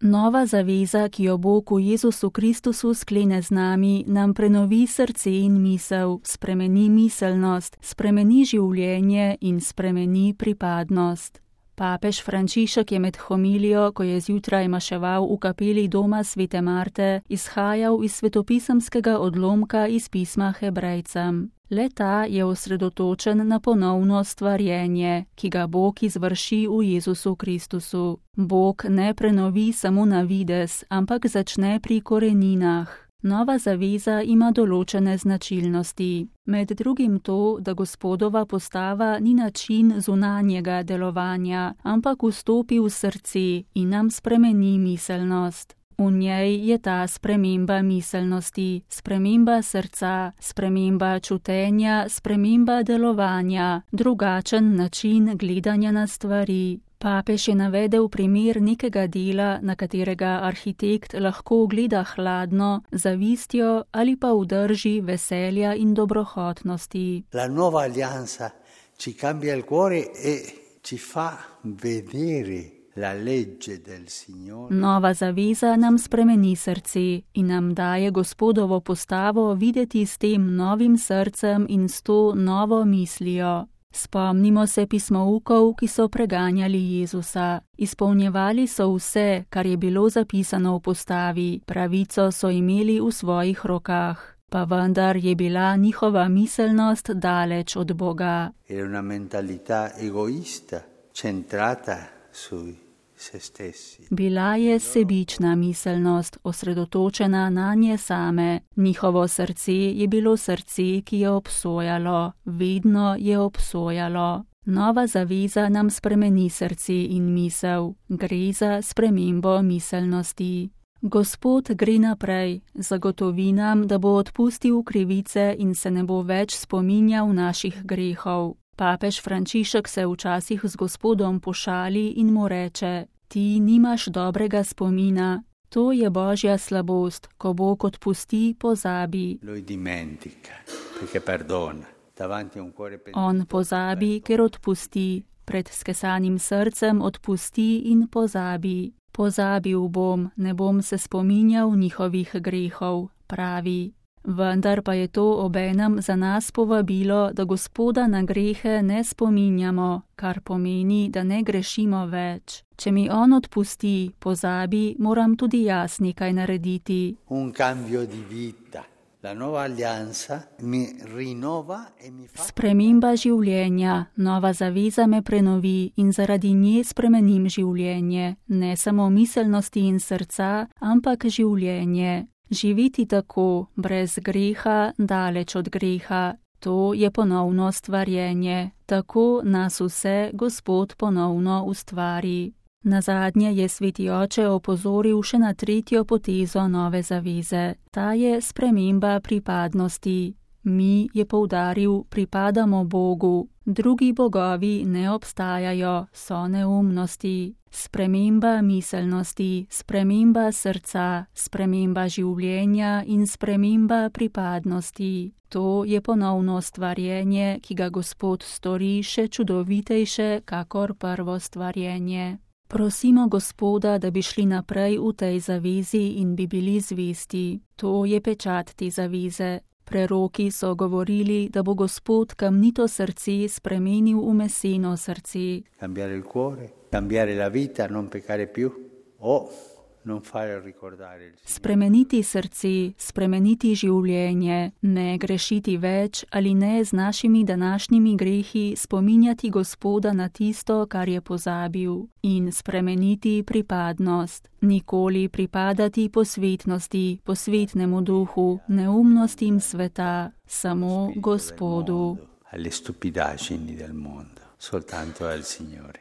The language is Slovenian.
Nova zaveza, ki jo Bog v Jezusu Kristusu sklene z nami, nam prenovi srce in misel, spremeni miselnost, spremeni življenje in spremeni pripadnost. Papež Frančišek je med homilijo, ko je zjutraj maševal v kapeli doma svete Marte, izhajal iz svetopisemskega odlomka iz pisma Hebrejcem. Le-ta je osredotočen na ponovno stvarjenje, ki ga Bog izvrši v Jezusu Kristusu. Bog ne prenovi samo na videz, ampak začne pri koreninah. Nova zaveza ima določene značilnosti. Med drugim to, da Gospodova postava ni način zunanjega delovanja, ampak vstopi v srce in nam spremeni miselnost. V njej je ta sprememba miselnosti, sprememba srca, sprememba čutenja, sprememba delovanja, drugačen način gledanja na stvari. Papež je navedel primer nekega dela, na katerega arhitekt lahko gleda hladno, zavistjo ali pa v drži veselja in dobrohotnosti. La nuova alleanza ci cambia il cuore e ci fa vedere la legge del Signore. Nova zaveza nam spremeni srce in nam daje Gospodovo postavo videti s tem novim srcem in s to novo mislijo. Spomnimo se pismoukov, ki so preganjali Jezusa. Izpolnjevali so vse, kar je bilo zapisano v postavi, pravico so imeli v svojih rokah. Pa vendar je bila njihova miselnost daleč od Boga. Era una mentalità egoista, centrata sui se stessi. Bila je sebična miselnost, osredotočena na nje same. Njihovo srce je bilo srce, ki je obsojalo, vedno je obsojalo. Nova zaveza nam spremeni srce in misel, gre za spremembo miselnosti. Gospod gre naprej, zagotovi nam, da bo odpustil krivice in se ne bo več spominjal naših grehov. Papež Frančišek se včasih z Gospodom pošali in mu reče: ti nimaš dobrega spomina, to je Božja slabost, ko Bog odpusti, pozabi. On pozabi, ker odpusti, pred skesanim srcem odpusti in pozabi. Pozabil bom, ne bom se spominjal njihovih grehov, pravi. Vendar pa je to obenem za nas povabilo, da Gospoda na grehe ne spominjamo, kar pomeni, da ne grešimo več. Če mi on odpusti, pozabi, moram tudi jaz nekaj narediti. Un cambio di vita. La nuova alleanza mi rinnova e mi fa... Sprememba življenja, nova zaveza me prenovi in zaradi nje spremenim življenje, ne samo miselnosti in srca, ampak življenje. Živeti tako, brez greha, daleč od greha, to je ponovno stvarjenje. Tako nas vse Gospod ponovno ustvari. Nazadnje je sveti oče opozoril še na tretjo potezo nove zaveze. Ta je sprememba pripadnosti. Mi, je poudaril, pripadamo Bogu. Drugi bogovi ne obstajajo, so neumnosti. Sprememba miselnosti, sprememba srca, sprememba življenja in sprememba pripadnosti. To je ponovno stvarjenje, ki ga Gospod stori še čudovitejše, kakor prvo stvarjenje. Prosimo Gospoda, da bi šli naprej v tej zavezi in bi bili zvesti. To je pečat te zaveze. Preroki so govorili, da bo Gospod kamnito srce spremenil v meseno srce. Cambiare il cuore, cambiare la vita, non peccare più o non fare ricordare il Signore. Spremeniti srce, spremeniti življenje, ne grešiti več ali ne z našimi današnjimi grehi spominjati Gospoda na tisto, kar je pozabil, in spremeniti pripadnost. Nikoli pripadati posvetnosti, posvetnemu duhu, neumnostim sveta, samo Gospodu. Alle stupidaggini del mondo, soltanto al Signore.